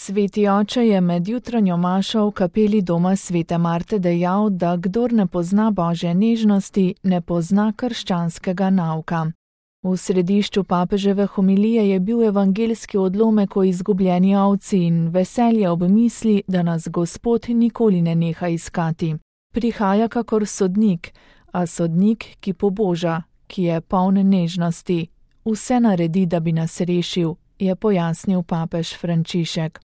Sveti oče je med jutranjo mašo v kapeli doma svete Marte dejal, da kdor ne pozna Božje nežnosti, ne pozna krščanskega nauka. V središču papeževe homilije je bil evangeljski odlomek o izgubljeni ovci in veselje ob misli, da nas Gospod nikoli ne neha iskati. Prihaja kakor sodnik, a sodnik, ki poboža, ki je poln nežnosti. Vse naredi, da bi nas rešil, je pojasnil papež Frančišek.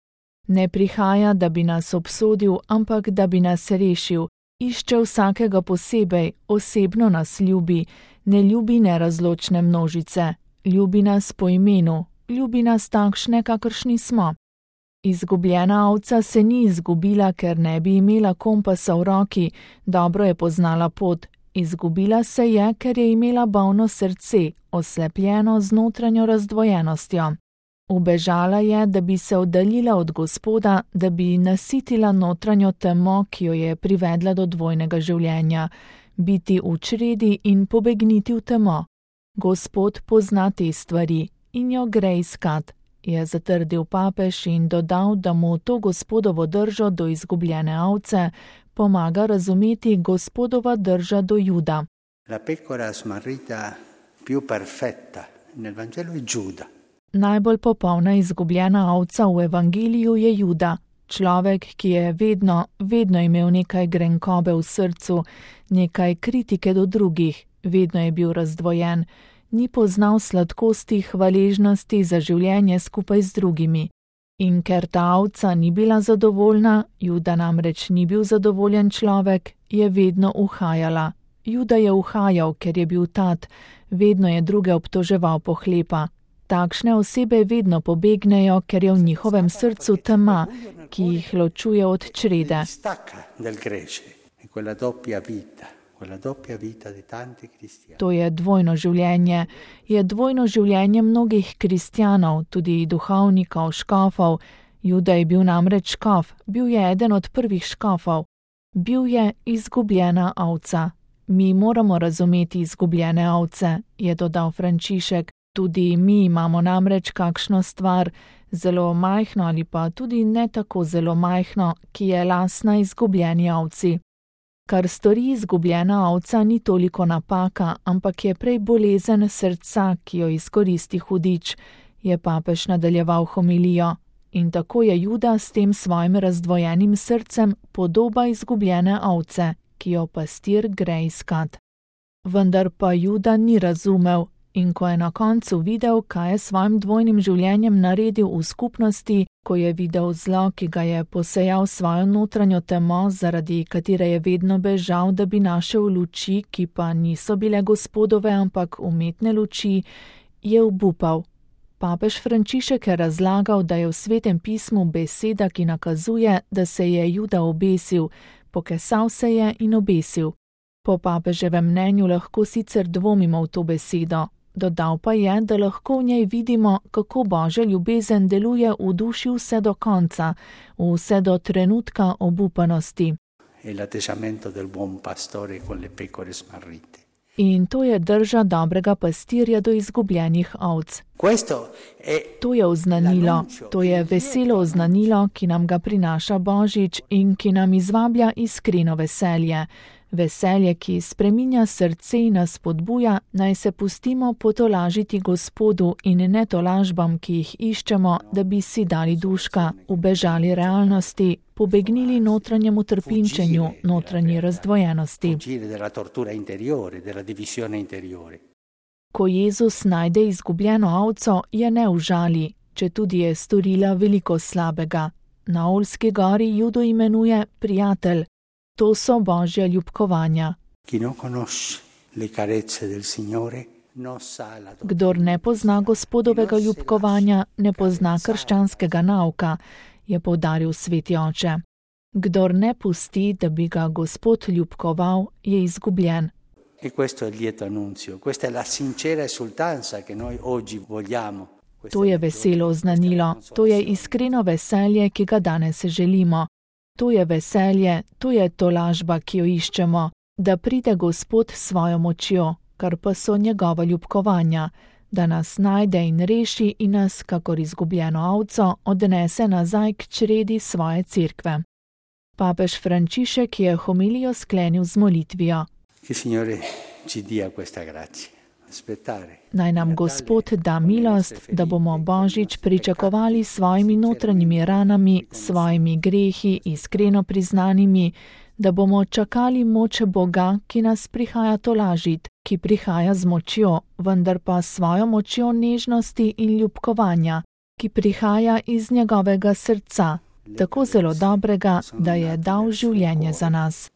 Ne prihaja, da bi nas obsodil, ampak da bi nas rešil. Išče vsakega posebej, osebno nas ljubi, ne ljubi nerazločne množice. Ljubi nas po imenu, ljubi nas takšne, kakršni smo. Izgubljena ovca se ni izgubila, ker ne bi imela kompasa v roki, dobro je poznala pot. Izgubila se je, ker je imela bolno srce, oslepljeno z notranjo razdvojenostjo. Ubežala je, da bi se oddaljila od Gospoda, da bi nasitila notranjo temo, ki jo je privedla do dvojnega življenja, biti v čredi in pobegniti v temo. Gospod pozna te stvari in jo gre iskat, je zatrdil papež in dodal, da mu to Gospodovo držo do izgubljene ovce pomaga razumeti Gospodova drža do Juda. La pecora smarrita più perfetta nel Vangelo è Giuda. Najbolj popolna izgubljena ovca v evangeliju je Juda, človek, ki je vedno imel nekaj grenkobe v srcu, nekaj kritike do drugih, vedno je bil razdvojen, ni poznal sladkosti hvaležnosti za življenje skupaj z drugimi. In ker ta ovca ni bila zadovoljna, Juda namreč ni bil zadovoljen človek, je vedno uhajala. Juda je uhajal, ker je bil tat, vedno je druge obtoževal pohlepa. Takšne osebe vedno pobegnejo, ker je v njihovem srcu tema, ki jih ločuje od črede. To je dvojno življenje. Je dvojno življenje mnogih kristjanov, tudi duhovnikov, škofov. Juda je bil namreč škof, bil je eden od prvih škofov. Bil je izgubljena ovca. Mi moramo razumeti izgubljene ovce, je dodal Frančišek. Tudi mi imamo namreč kakšno stvar, zelo majhno ali pa tudi ne tako zelo majhno, ki je lastna izgubljeni ovci. Kar stori izgubljena ovca ni toliko napaka, ampak je prej bolezen srca, ki jo izkoristi hudič, je papež nadaljeval homilijo. In tako je Juda s tem svojim razdvojenim srcem podoba izgubljene ovce, ki jo pastir gre iskat. Vendar pa Juda ni razumel. In ko je na koncu videl, kaj je svojim dvojnim življenjem naredil v skupnosti, ko je videl zlo, ki ga je posejal svojo notranjo temo, zaradi katere je vedno bežal, da bi našel luči, ki pa niso bile Gospodove, ampak umetne luči, je obupal. Papež Frančišek je razlagal, da je v Svetem pismu beseda, ki nakazuje, da se je Juda obesil, pokesal se je in obesil. Po papeževem mnenju lahko sicer dvomimo v to besedo. Dodal pa je, da lahko v njej vidimo, kako Božja ljubezen deluje v duši vse do konca, vse do trenutka obupanosti. In to je drža dobrega pastirja do izgubljenih ovc. To je oznanilo, to je veselo oznanilo, ki nam ga prinaša Božič in ki nam izvablja iskreno veselje. Veselje, ki spreminja srce in nas spodbuja, naj se pustimo potolažiti Gospodu in ne tolažbam, ki jih iščemo, da bi si dali duška, ubežali realnosti, pobegnili notranjemu trpinčenju, notranji razdvojenosti. Ko Jezus najde izgubljeno ovco, je ne užali, četudi je storila veliko slabega. Na Olski gori Judo imenuje prijatelj. To so Božja ljubkovanja. Kdor ne pozna Gospodovega ljubkovanja, ne pozna krščanskega nauka, je poudaril sveti oče. Kdor ne pusti, da bi ga Gospod ljubkoval, je izgubljen. To je veselo oznanilo, to je iskreno veselje, ki ga danes želimo. To je veselje, to je tolažba, ki jo iščemo, da pride Gospod s svojo močjo, kar pa so njegova ljubkovanja, da nas najde in reši in nas, kakor izgubljeno ovco, odnese nazaj k čredi svoje cerkve. Papež Frančišek je homilijo sklenil z molitvijo. Naj nam Gospod da milost, da bomo Božič pričakovali s svojimi notranjimi ranami, svojimi grehi iskreno priznanimi, da bomo čakali moč Boga, ki nas prihaja tolažit, ki prihaja z močjo, vendar pa svojo močjo nežnosti in ljubkovanja, ki prihaja iz njegovega srca, tako zelo dobrega, da je dal življenje za nas.